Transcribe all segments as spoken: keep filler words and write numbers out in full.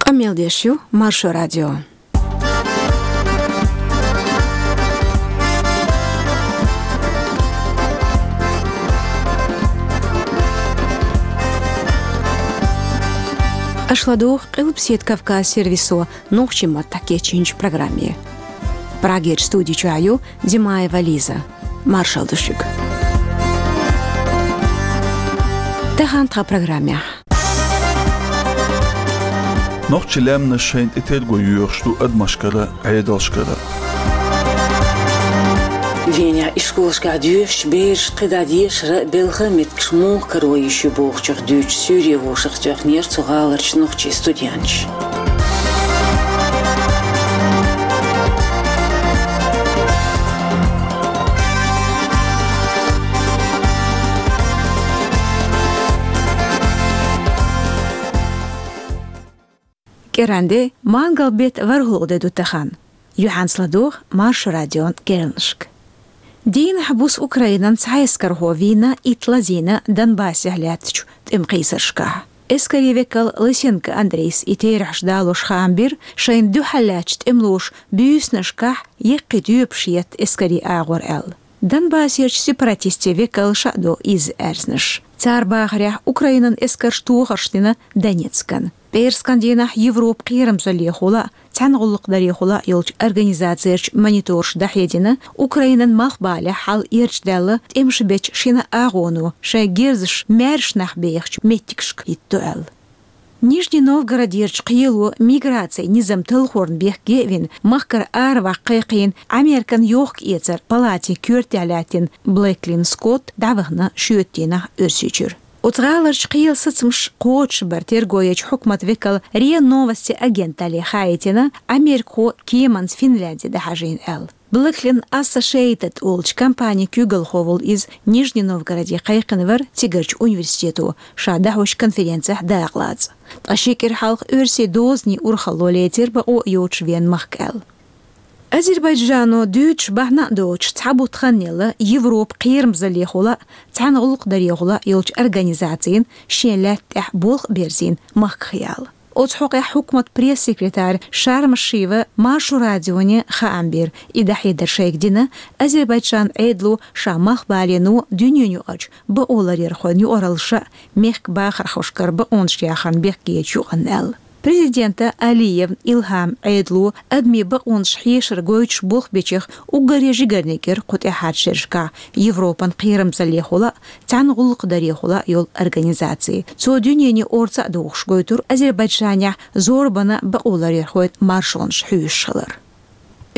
Къамел деш ю Маршо радио. Аша ладугӀу Къилбаседа Кавказ сервисо нохчийн маттахь кечйинчу программе. Прагерчу студи чохь ю Димаева Лиза. Маршалла ду шуьга. Тахана тхан программехь. Нохчийн лаьмнаш шайна тӀе терго йоьхуш ду адамашкара, Ӏедалшкара. Венехь ишколашкахь доьшучу бераш кхидӀа дешара, белхан меттигаш муха каро йиш ю бохучух дуьйцуш суьйре вовшахтоьхнера цу гӀаларчу нохчийн студенташ. КӀиранде, мангал беттан ворхӀалгӀа де ду тахана. Юьхьанца ладогӀа Маршо радион керланашка. Дийнахь буса Украинан цхьа эскархо вийна итт лазийна Донбассехь лаьттачу тӀеман кхийсаршкахь. Эскарийн векал Лысенко Андрейс и терахьаш далош хаам бира, шайна дуьхьал лаьттачу тӀемалоша буьйсанашкахь яккхий тоьпаш етта эскарийн агӀор аьлла. Донбассерчу сепаратистийн векалша а до иза аьрзнаш. Цара бахарехь, Украинан эскарша тохарш дина Донецкан. ПӀераскан дийнахь Европан кхерамзаллехула а, цхьаьна гӀуллакхдарехула а йолчу организацерчу мониторша дӀахьедина, Украинан малхбалехь хьал эрчадаьлла тӀемаш бечу шина агӀоно шайн герзаш маьрша нах бехачу меттигашка хӀитто аьлла. Нижний Новгородерчу кхело миграцин низам талхорна бехке а вина, махкара араваккха кхайкхийна Американ йохка-эцаран палатин коьртехь лаьттина Блэклин Скотт дӀавахана шоьтан дийнахь Оьрсийчуьра. Оцу гӀаларчу кхелан сацамаш кхочушбар терго ечу хьукматан векала РИА Новости агенталле хаийтина, америкахо кеманца Финляндия дӀахьажийна аьлла. Блэклин Ассошиэйтед олучу компанин куьйгалхо волу иза Нижний Новгороде кхайкхина вара цигарчу университето ша дӀахьочу конференцехь дакъалаца. Ткъа ши кӀира хьалха оьрсийн дозанийн урхалло лецира бакъо йоцуш вен махка аьлла. Азербайджано дуьйцуш бахьана а доцуш, цхьа бутт хан елла Европан кхерамзаллехула а, цхьаьна гӀуллакхдарехула а йолчу организацина шен лаьтта тӀехь болх а берзийна махках яла. Оцу хьокъехь хьукматан пресс-секретарь Шармашиева Маршо радионе хаам бира, и дӀахьедар шайга дина, Азербайджанан Ӏедало ша малхбалено дуьненаюкъарчу бакъоларъярхойн юкъараллаша а мехкан бахархошкара бакъонаш яхарна бехкечу юкъанна аьлла. Президента Алиев Илхьаман Ӏедало адамийн бакъонаш хьешар гойтуш болх бечех уггаре жигарниг яра кху тӀаьхьарчу шерашкахь Европан кхерамзаллехула а, цхьаьна гӀуллакхдарехула а йолу организаци. Цо дуьнене орца а дохуш гойтура Азербайджанехь зорбанан бакъоларъярхойн маршонаш хьоьшуш хилар.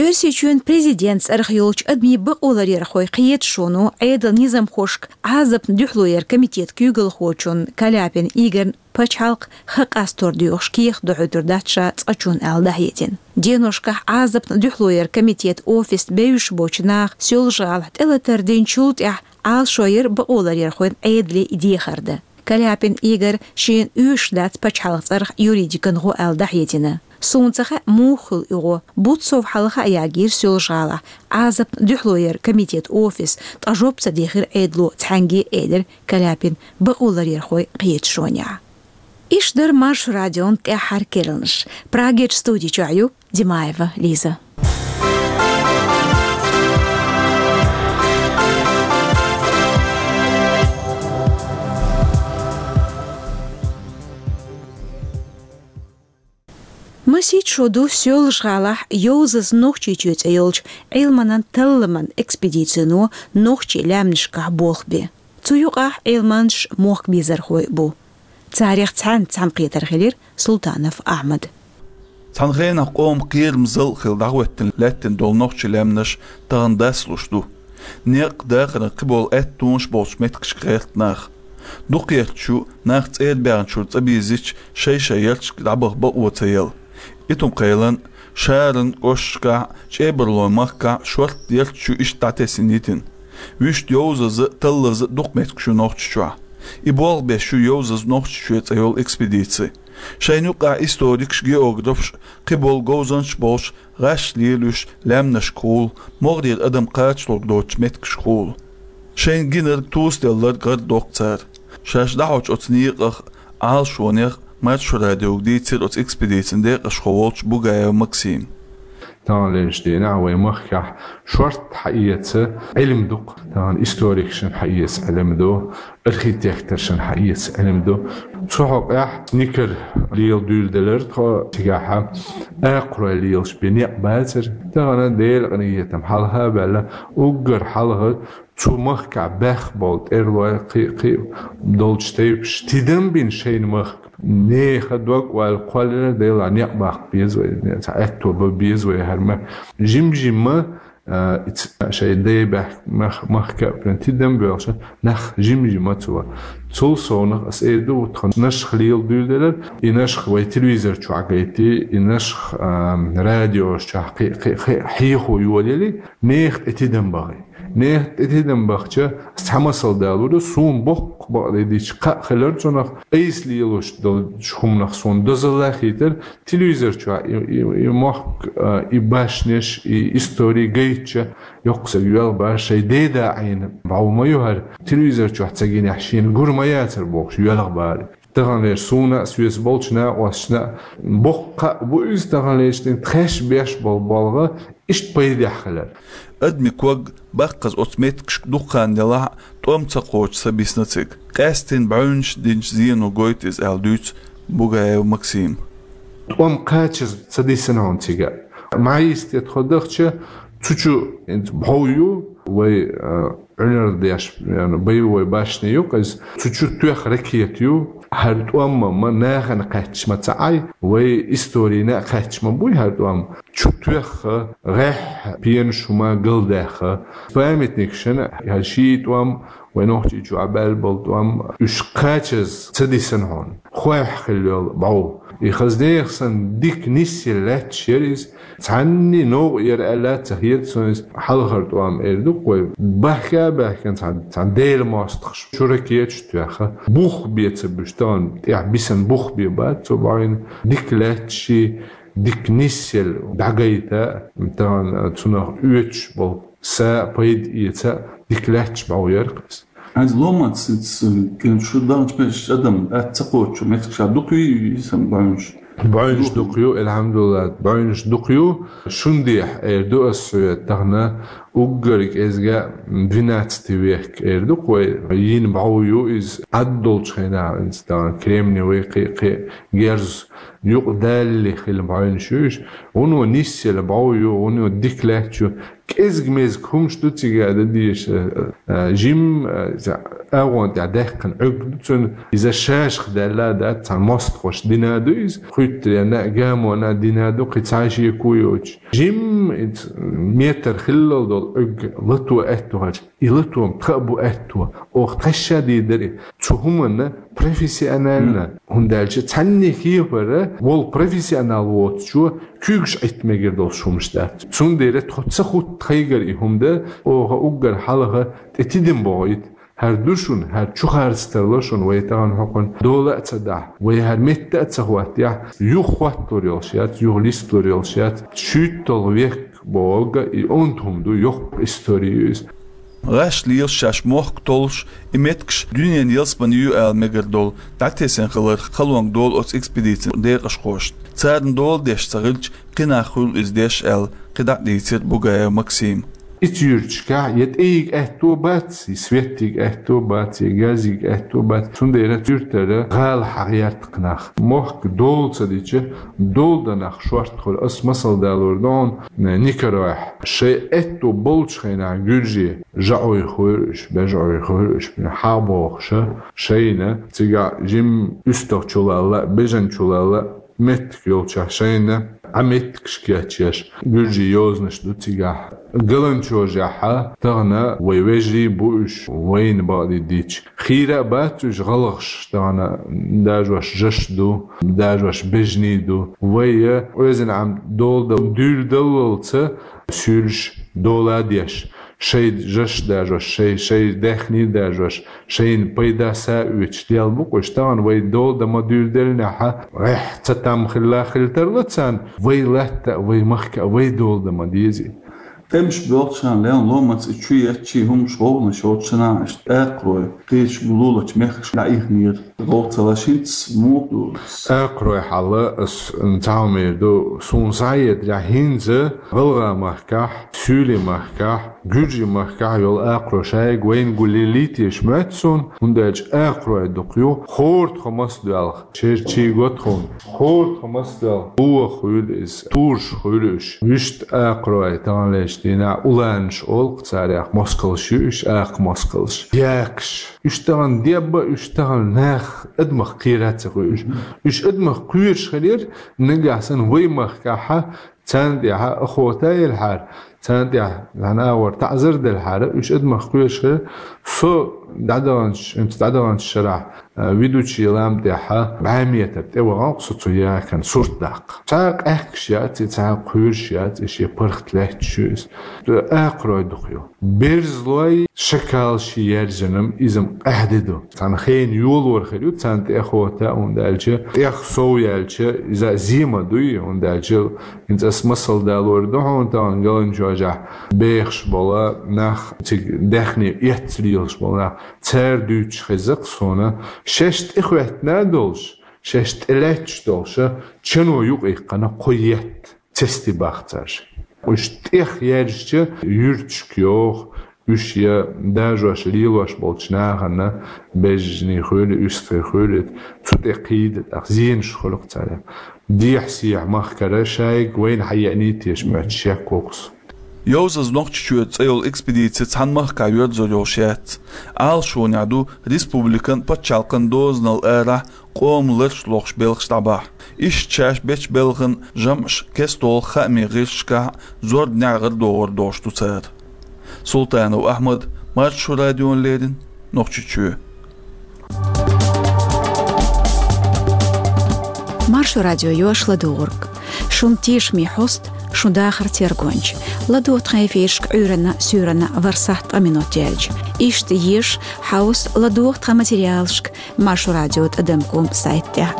Оьрсийчоьнан президентан цӀарах йолчу адамийн бакъоларъярхойн кхеташоно Ӏедалан низамхошка Ӏазапна дуьхьало яран комитетан куьйгалхочунна Каляпин Игорьна пачхьалкх ха къастор доьхуш кехат дохьуьйтур дац ша цкъачунна аьлла дӀахьедина. Деношкахь Ӏазапна дуьхьало яран комитетан офисна бевзаш болчу наха Соьлжа-ГӀалахь тӀелатар динчул тӀаьхьа Ӏалашо яра бакъоларъярхойн Ӏедале и дехар дан. Каляпин Игорь шена оьшуш дац пачхьалкхан цӀарах юридикан гӀо аьлла дӀахьедина. Суна ца хаьа, муха хуьлу и гӀо. Бутт сов хьалха а ягийра Соьлжа-ГӀалахь Ӏазапна дуьхьало яран комитетан офис, ткъа жоп ца дихира Ӏедало цхьаьнгге а, элира Каляпин бакъоларъярхойн кхеташонехь. Иштта дара Маршо радион тӀаьххьара керланаш. Прагерчу студи чохь ю Димаева Лиза. Масех шо ду Соьлжа-ГӀалахь «Йовзаза Нохчийчоь» цӀе йолчу Ӏилманан талламан экспедицино нохчийн лаьмнашкахь болх бен. Цу юкъахь Ӏилманчаш, мохк безархой бу. Царех цхьаьнца цхьаьнакхетар хилира Султанов Ахьмада. Цхьана хенахь къоман кхерамзалла хилла дӀахӀоьттина лаьттина долу нохчийн лаьмнаш тахана дасалуш ду. Некъ, дахаран кхиболу аьттонаш болчу меттигашка гӀерта нах. Дукхахберш нах цӀера баьхначуьра цӀа бийзича, шай-шай ярташка дӀабаха бакъо ца елла. Итум-Кхелан, Шаран кӀошташкахь, ЧӀебарлойн махкахь шортта ярташ ю иштта дӀатесна йитина. Вуьшта йовзаза а, таллаза а дукха меттигаш ю Нохчийчохь. И болх беш ю «Йовзаза Нохчийчоь» цӀе йолу экспедици. Шайна юкъахь историкаш, географаш, кхиболу говзанчаш болуш, гӀаш лелош, лаьмнашкахула, могӀарера адам кхачалург доцучу меттигашкахула. Шайна гинарг, тосаделларг гӀардоккху цара. Шаьш дӀахьочу оцу некъах, Ӏалашонех Маршо радиога дийцира оцу экспедицин декъашхо волчу Бугаев Максима. Таханлерчу дийнахь вайн махкахь шорта хьаэца Ӏилма ду-кх. Тахана историкашна хьаэца Ӏилма ду, архитекторшна хьаэца Ӏилма ду. Цу хьокъехь Никар лела дуьйладелира тхо цигахь, акхарой лелаш бен некъ бацара. Тахана Делан къинхетам хьалха а баьлла, уггар хьалха цу махкахь баьхна болу тӀерлой, кхин а, кхин а долчу тайпаш тидам бина шайна махка. Нехан дог-ойла кхоллаелира, делахь некъ баккха беза вай, цхьа аьтто бан беза вай хӀара махка. Жим-жимма, а, и ц-, шайн дай баьхна мах-, махка а прям тидам боьлхуш, нах жим-жимма цо. Цул совнаха ас эр ду, тхан Нашха лела дуьйладелира, и Нашха вай телевизор чохь гайти, и Нашха, а, радиош чохь кхин, кхин, кхин хьехо йолаелли, нехан тӀе тидам бахи. Нехан тӀе тидам бахча, ас цхьа масал далур ду, суна боккха бакъдерг дийцича кхаъ хилар цунах, айса лелош долчу хӀуманах суна дозалла хийтира, телевизор чохь и, и, и мохк, а, и башнеш, и истори гайтча, йоккха стаг йоьлху бара, шайн деда Ӏийна бӀов ма ю хӀара, телевизор чохь ца гинехь шена гур ма яцара бохуш йоьлху бара. Таханлерчу суна а, соьца болчу накъосташна а боккха кхаъ бу иза, таханлерчу дийнахь тхаьш беш болу болх иштта пайдехь хилар. Адамийн ког баккхаза оцу меттигашка дукха хан делахь а, тӀом ца кхочуш ца бисна цига. Къаьсттина бӀаьвнаш динчу зено гойту иза аьлла дуьйцу Бугаев Максима. ТӀом кхачаза ца дисина хьуна цига. Маьхьа йисте тхо дахча, цу чу хӀинца бӀов ю, вай, а, Ӏуьнар деш, ян, боевой башня ю-кх иза. Цу чу тоьхна ракета ю. ХӀара тӀом ма нахана кхаьчча ма ца Ӏай, вай историна а кхаьчча ма буй хӀара тӀом. Чу тоьхна, гӀеххьа, пенаш хӀума галдаьхна. Памятникашна хӀара ши тӀом, вай Нохчийчохь баьлла болу тӀом, уьш кхачаза ца дисина хьуна. Хойх хилла йолу бӀов. И хаза нехан санна дика нисъелла лаьтташ яра иза. Цхьанний новкъа яра аьлла ца хета суна иза. Хьалхара тӀом эр ду-кх вай. Баьхка а баьхкина цхьана, цхьана Делан мостагӀаша чу ракеташ тоьхна. Бух бен ца буьсу, тахана тӀехь бисина бух бен бац цо бӀаьвнина. Дика лаьтташ, дика нисъелла дӀагайта, тахана цунах оьцуш болу са пайда эца дика лаьтташ бӀов яра-кх иза. Хьайна ломаца, ц-, ц-, кен шу даханчу меттигаш адам атта ца кхочу меттигаш дукха ю, ю, ю, сан бӀаьвнаш? БӀаьвнаш дукха ю, алхьамдулиллахӀ, бӀаьвнаш дукха ю. Шуна дехьа эр ду ас хьоьга тахана, уггар кӀезга двенадцатый век эр ду-кх вай, йина бӀов ю иза, Ӏад долчу хенахь, иза тахана кремниевый кхин, кхин герз юкъа далале хилла бӀаьвнаш ю уьш. Вуно нисъелла бӀов ю, вуно дика лаьтташ ю. КӀезиг-мезиг хӀумаш ду цига дан дезаш, а, а, жим, а, иза агӀон тӀехь даьккхина Ӏуьрг ду цуьнан, иза шашах даьлла а дац, цхьана мостагӀаша дина а ду иза, кхуьттаренна а, гамонна а дина а ду, кхин цхьа шеко йоцуш. Жим, иза метр хиллал долу Ӏуьрг лато аьтто хилча, и лато-м тхан а бу аьтто, оха тхаьш а дийр дара и. Цу хӀуманна профессионально, хӀунда аьлча цхьанне хепара волу профессионал воцучо куьйгаш Ӏитта мегар долуш хӀумаш дац. Цундела тхо ца хӀутту тхайгара и хӀума дан, оха уггар хьалха тӀе тидам бохуьйту. ХӀара ду шуна, хӀара чу харц тарло шуна, вай тахана хӀокхунна дола а ца дахь, вай хӀара метта а ца хӀоттаяхь, юха хӀотталур йолуш яц, юха листалур йолуш яц, шуьйтталгӀа век бохург и онда хӀума ду, йоккха истори ю иза. ГӀаш лелаш шаьш мохк толлуш, и меттигаш дуьненан ялсамани ю ала мегар долу дӀатесна хилар халонга долу оцу экспедицин декъашхошна. Царна дола деш ца хилча, кхин нах хуьлу иза деш аьлла, кхидӀа а дийцира Бугаев Максима. Ицу юьрташкахь я тӀейига аьтто бац, я светтига аьтто бац, я газига аьтто бац. Цундела цу юьртара гӀала хьагӀерта кхин нах. Мохк дола ца дича, дола дан нах шорта хуьлу. Ас масал далор ду хьуна, Никаройхь. Шайн аьтто болчу хенахь гуьржий жаӀой хуьйра уьш, бежӀой хуьйра уьш, хьагӀ бохуша, шайна цигахь жим уьстагӀ чулалла, бежан чулалла меттиг йолчохь шайна Ӏа меттигаш кечъеш, гуьржий йозанаш ду цигахь. Галанчожехьа тахана вай вежарий бу уьш, вайна бакъдийр дийцича. Хийра а бац уьш гӀалгӀаш, тахана дажош жаш ду, дажош бежний ду. Вай я оьзан Ӏам дола дан дуьйладаллалца суьйлуш дола а деш, шайн жаш дажош, шайн, шайн даьхний дажош, шайна пайда са а оьцуш лел бу-кх уьш. Тахана вай дола дан ма дуьйладеллинехьа, гӀеххьа ца там хилла хила тарло царна, вай латта а, вай махка а вай дола дан ма дезий. ТӀемаш боьлхуча хана лелла ломаца и чу етташ хӀумаш, гӀовгӀанаш йоцучу хана иштта акхарой кхечу лулачу мехкашка дӀаихнера. ГӀовгӀа ца лаш хӀинца муха ду? Акхарой хьал ас цхьа хӀума эр ду, суна схьахетарехь, хӀинца ГӀалгӀай махкахь, Суьйлийн махкахь, Гуьржийн махкахь йолу акхарой шайга вайна гулъеллий теша моьтту суна, хӀунда аьлча акхарой дукха ю, хӀора тхо маса доьлху, шерчий го тхуна, хӀора тхо маса доьлху, боху хуьлу иза, тураш хуьлу уьш. Вуьшта акхарой таханлерчу дийнахь уланаш олу-кх царех, москалш ю уьш, акха москалш, якаш. Уьш тахана дебба, уьш тахана нах, адамах кхера а ца хуьлуш. Уьш адамах кхоьруш хилира, нагахь санна вай махкахь царна тӀехь охота елахьара, царна тӀехь цхьана агӀор таӀзар делахьара, уьш адамах кхоьруш хилира. Со дӀадаханчу, хӀинца дӀадаханчу шарахь, а, ведущий лам тӀехь бӀе метр тӀе вахана-кх со цу якана сурт даккха. Цхьа къаьхкаш яц и, цхьа кхоьруш яц и, шен паргӀат лаьтташ ю иза. Акхарой дукха ю. Берзалой, шакалший яьржина-м иза-м къаьхьа де ду. Цхьана хенан йолор хир ю царна тӀе охота, хӀунда аьлча тӀех сов яьлча, иза зема дуй, хӀунда аьлча хӀинца ас масал далор ду хьуна тахана, Галанчожахь бехаш болу нах, цига даьхни эцна лелаш болу нах, цара дуьйцуш хеза-кх суна, шаьш тӀехӀоьттина а долуш, шаьш тӀелаьтташ долуш, чано юкъаиккхина кхо етт. Цести бахцарш. Уьш тӀех яьржича, юьрташка йоху, уьш я дажош, лелош болчу нахана, бежанийн хуьлу, уьстагӀийн хуьлу, цу тӀе кхийда, тӀаккха зенаш хуьлу-кх царех. Дехьа-сехьа махкара шайга вайна хьаеъний теша моьтту шек ву-кх суна. «Йовзаза Нохчийчоь» цӀе йолу экспедици цхьана махкахь йоьрзур йолуш яц. Ӏалашонехь ду республикан, пачхьалкхан дозанал арахь къоман ларш лохуш белхаш дӀабахьа. Иштта шаьш бечу белхан жамӀаш кестта долу хаамийн гӀирсашкахь зорбанехь гӀарадогӀур долуш ду цара. Султанов Ахьмад, Маршо радиона леррина, Нохчийчоь. Маршо радио ю аш ладугӀург. Шун тешаме хьоста, шун дахаран тергонча. ЛадогӀа тхан эфирашка Ӏуьйранна, суьйранна ворхӀ сахьт ткъа минот яьлча. Иштта еша, хьовса, ладогӀа тхан материалашка Маршо радио тӀадам ком сайта тӀехь.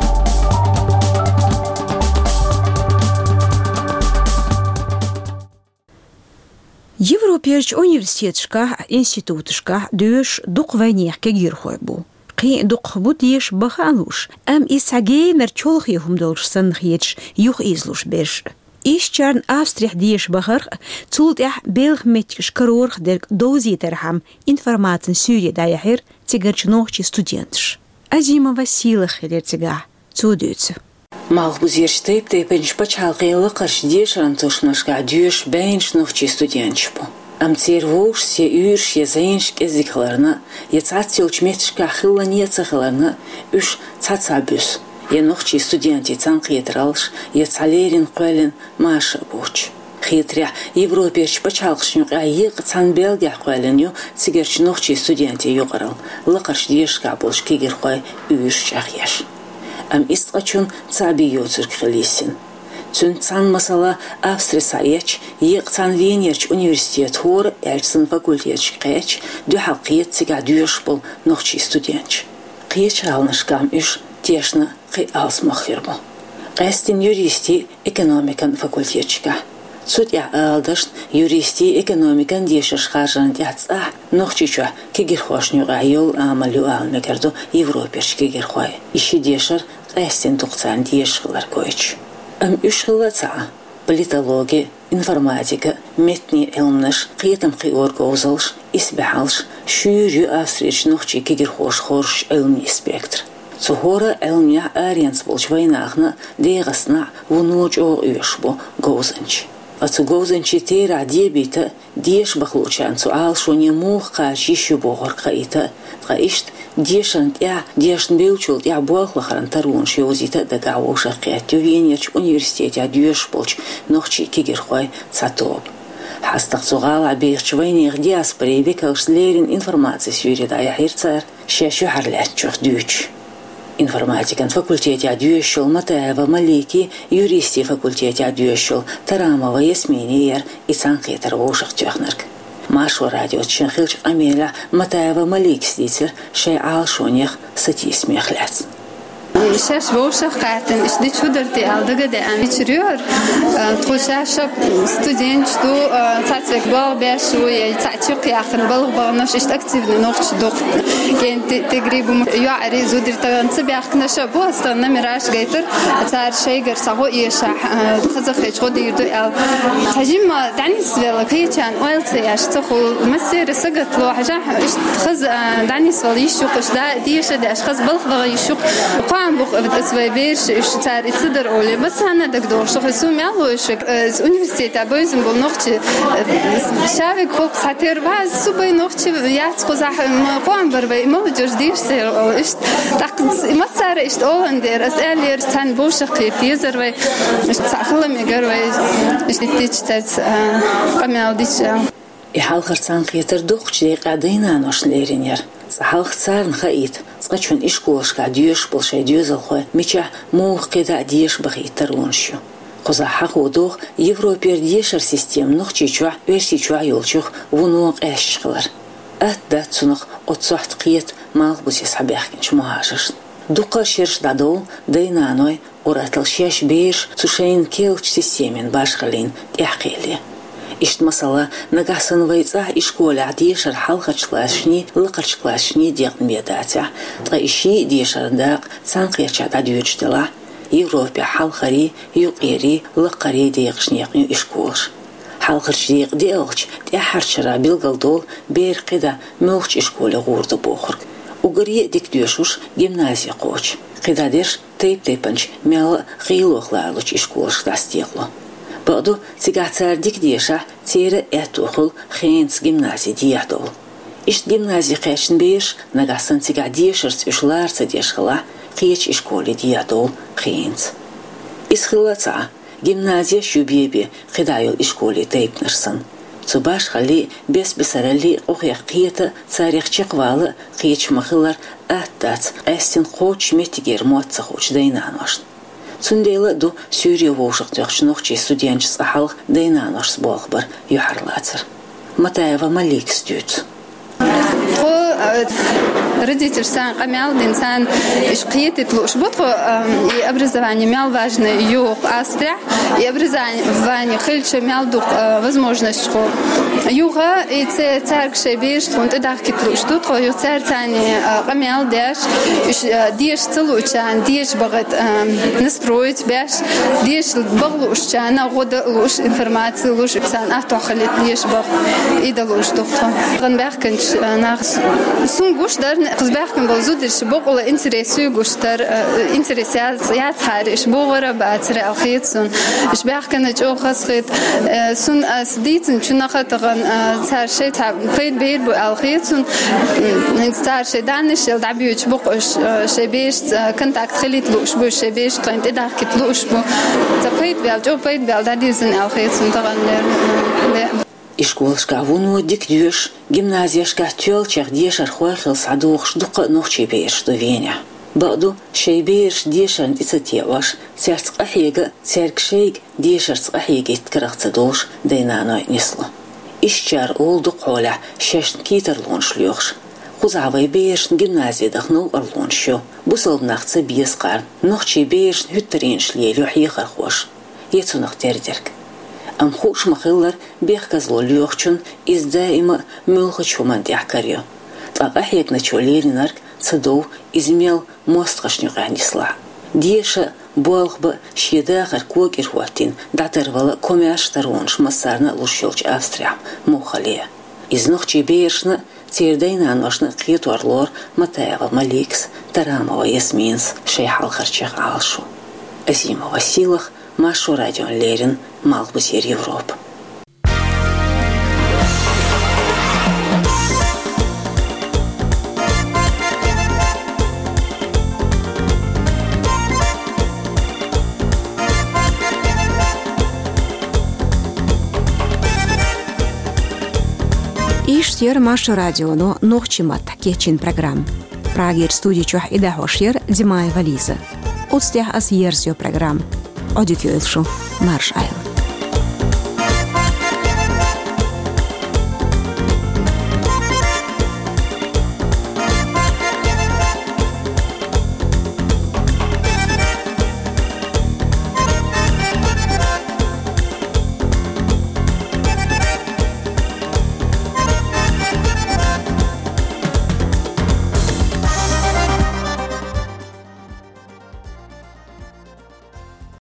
Европерчу университеташкахь а, институташкахь а доьшуш дукха вайнехан кегийрхой бу. Кхин а дукхах бу деша баха а лууш, амма иза цхьа генара чолхе хӀума долуш санна хеташ юхаийзалуш берш а. Ишттачарна Австрехь деша бахарх а, цул тӀаьхьа белхан меттигаш карорах дерг довзийтархьама информацин суьйре дӀаяьхьира цигарчу нохчийн студенташа. Азимова Сийлаха хилира цигахь, цо дуьйцу. Малхбузерчу тайп-тайпанчу пачхьалкхийн лакхарчу дешаран тушманашкахь доьшу бӀеннаш нохчийн студенташ бу. Амма церан вовшашца я уьйраш, я зӀенаш кӀезиг хиларна, я цхьацца йолчу метташкахь хиллане а ца хиларна, уьш цхьацца буьсу, я нохчийн студентийн цхьаьнакхетараллаш, я цхьа леррина кхоьллина маша а боцуш. Хетарехь, Европерчу пачхьалкхашна юкъахь еккъа цхьана Бельгехь кхоьллина ю цигарчу нохчийн студентийн юкъаралла, лакхарчу дешаршкахь болчу кегийрхойн уьйраш чӀагӀъеш. Амма иза цкъачунна цхьа бен йоцург хила йисина. Цуьнца цхьаьна масала Австри схьаэцча, еккъа цхьана Венерчу университетан хӀора аьлча санна факультеташка кхаьчча, дуьхьал кхета цигахь доьшуш болу нохчийн студенташ. Кхечу гӀаланашкахь-м уьш тешна кхин а алсамох хир бу. Къаьсттина юристийн, экономикан факультеташкахь. Цу тӀехь ала дашна, юристийн, экономикан дешарш харжарна тӀехь цӀахь Нохчийчохь кегийрхошна юкъахь йолу амал ю ала мегар ду Европерчу кегийрхойн, и ши дешар къаьсттина дукха царна дезаш хилар гойтуш. Амма уьш хилла а ца Ӏа, политологи, информатика, меттанийн Ӏилманаш, кхетам кхиоран говзаллаш, исбаьхьаллаш, шуьйра ю Австрерчу нохчийн кегийрхоша хоржуш Ӏилманийн спектр. Цу хӀора Ӏилманехь аренца болчу вайнахана а, ДегӀастанахь а вуно чӀогӀа оьшуш бу говзанчий. Ткъа цу говзанчийн терахь дебийта а, деша баха луучарна цу Ӏалашоне муха кхача йиш ю бохург хаийта а, ткъа иштта дешарна тӀехь, дешна бевллачул тӀехь болх лахаран таронаш йовзийта а дагахь вовшахкхетта ю Венерчу университетехь доьшуш болчу нохчийн кегийрхойн цхьа тоба. ХьастагӀа цу гӀалахь бехачу вайнехан диаспорин векалшца леррина информацин суьйре дӀаяьхьира цара, шаьш юьхьарлаьцначух дуьйцуш. Информатикан факультетехь доьшуш йолу Матаева Маликий, юристийн факультетехь доьшуш йолу Тарамова Ясминий яра и цхьаьнакхетар вовшахтоьхнарг. Маршо радиоца шен хиллачу къамелехь Матаева Маликас дийцира шайн Ӏалашонех, сатийсамех лаьцна. Шаьш вовшах кхаьттина, иштта дича хӀу дар те аьлла дагадеана, ича рёр, э, тхо шаьш студенташ ду, э, цхьацца век болх беш ву, я цхьацца юкъ яьккхина балха баханаш, иштта активни нохчий дукха. Кен ти-, тигри бу йоӀари зудари тахан ца баьхкинараш а бу, ас тахан номераш гайтар, цар шайгара сагӀо эшахь, э, хазахеташ гӀо дийр ду аьлла. Цхьа жимма дӀанисвелла кхечарна ойла ца еш ца хул, массера сагота лу, хьажахь, иштта хаза, э, дӀанисвала йиш ю-кх, иштта да-, деша деш, хаза балха ваха йиш ю-кх. Кхоам бу-кх ас вай бераш, уж цар и ца дар оле. Массанна дагадоагӀа шух, со мел лу уж, э, университета бевзаш бола нохчи, э, шавиг хӀокху схьатера ваз, со бай нохчи яц кхузахь, м, кхоам бар вай, молодёжь дийраш ца ола, иштта. ТӀаккха массара иштта олан дера, ас аьллера, царна бовшах кхета езар вай, иштта цхьа хила мегар вай, иштта дича тац, а, къамел дича. И хьалхара цхьаьнакхетар дукхачу декъехь дай-наношна лерина яра. Цкъа хьалха царна хаийта, цкъачунна ишколашкахь доьшуш болу шайн доьзалхой мичахь муха кхидӀа а деша бахийта таронаш ю. Кхузахь хьахо догӀу Европера дешаран система Нохчийчохь, Оьрсийчохь йолчух вуно къаьсташ хилар. Атта дац цунах оццу сохьта кхета малхбузе схьабаьхкинчу мухӀажаршна. Дукха шераш дӀадовлу дай-наной ур-атталла шаьш бераш цу шайна керлачу системин башхаллина тӀаьхьакхиале. Иштта, масала, нагахь санна вай цӀахь ишколехь дешар хьалхарчу классашний, лакхарчу классашний декъна бен дацахь, ткъа и ший а дешаран дакъа цхьаьнакхерчахь дӀадоьдуш делахь, Европехь хьалхарий, юккъерий, лакхарий декъашна екъна ю ишколаш. Хьалхарчу декъа деалгӀачу тӀаьххьарчу шарахь билгалдолу бер кхидӀа муьлхачу ишколе гӀур ду бохург. Уггаре а дика доьшурш гимназе кхочу. КхидӀа дерш тайп-тайпанчу мелла а гӀийлох лоручу ишколашка дӀасадекъало. Бакъду, цигахь цара дика дешахь, церан а аьтто хуьлу хенца гимназе дехьадовла. Иштта гимназе кхаьчна бераш, нагахь санна цигахь дешарца уьш лара ца деш хилахь, кхечу ишколе дехьадовла хенца. Иза хилла ца Ӏа, гимназеш ю бен-бен кхидӀа йолу ишколе тайпанаш санна. Цу башхаллий, бес-бесараллий къохех кхета а, царех чекхвала а кхеташ ма-хиллара, атта дац къаьстина кхоччуш меттигера мотт ца хуучу дай-наношна. Цундела а ду суьйре вовшахтоьхначу нохчийн студенташца цкъа хьалха дай-наношца болх бар юьхьарлацар. Матаева Маликас дуьйцу. Тхо, э, родительш царна къамел дина, царна уьш кхетийта лууш бу тхо, э, и образование мел важное ю Австрехь, и образование хилча мел ду, э, возможностьхо. Юха и ца-, цаьрга шайн бераш тхуна тӀедахкийта лууш ду тхо, юха цара царна, э, къамел деш, уьш, э, деша ца луучарна деша бахийта, э, настроить беш, деша баха луучарна гӀо дан лууш, информаци лууш, царна аттохь хилийта деша баха, и дан лууш ду тхо. Тхан баьхкинчу, э, нах с-, сун гуш дара, кхуза баьхкина болу зударша бакъала интерес ю гуш дара, э, интерес яц-, яцахьара, уьш богӀура бацара аьлла хета сун. Уьш баьхкина чӀогӀа хазахета, э, сун ас дийцинчу наха тахана, э, цара шайн цхьа пайда бер бу аьлла хета сун. М, хӀинца цара шайн даннаш яла дӀабоьдуш бу-кх уьш, э, шайн берашца, э, контакт хилийта лууш бу, шайн бераш тхайна тӀедахкийта лууш бу. Цхьа пайда бел, чӀогӀа пайда бел дӀадирзина аьлла хета сун тахана лер, э, де. Ишколашкахь вуно дика доьшуш, гимназешкахь тоьллачех дешархой хилла схьадогӀуш дуккха а нохчийн бераш ду Венехь. Бакъду, шайн бераш дешарна тӀе ца теӀош, цаьрца къахьега а, цаьрга шайга дешарца къахьегийта карах ца долуш дай-наной нисло. Ишттачара олу дукха хьолехь шайна кхетарлонаш лоьхуш. Кхузахь вайн берашна гимназе даха новкъарлонаш ю, бусалба нах ца беза кхарна, нохчийн берашна хӀуьттаренаш лелайо хьехархоша, я цунах тера дерг. Амма хууш ма-хиллара, бехказло лоьхучунна иза даима а муьлххачу хӀуманна тӀехь карайо. Ткъа къахьегначо лелийнарг ца дов, иза мел мостагӀашна юкъахь нислахь а. Деша а, болх бан а шен дахар кокӀира хӀоттийна дӀатарвала а, комаьрша таронаш массарна а луш йолчу Австрехь муха хилла. Иза нохчийн берашна а, церан дай-наношна а кхетор лору Матаева Маликас, Тарамова Ясминас шайн хьалхарчех Ӏалашо. Азимова Сийлаха, Маршо радиона леррина, Малхбузера Европа. Иштта яра Маршо радионо нохчийн маттахь кечйина программа. Прагера студи чохь и дӀахьош яра Димаева Лиза. Оцу тӀехь ас ерзайо программа. Ӏодика йойла шу, марша Ӏайла.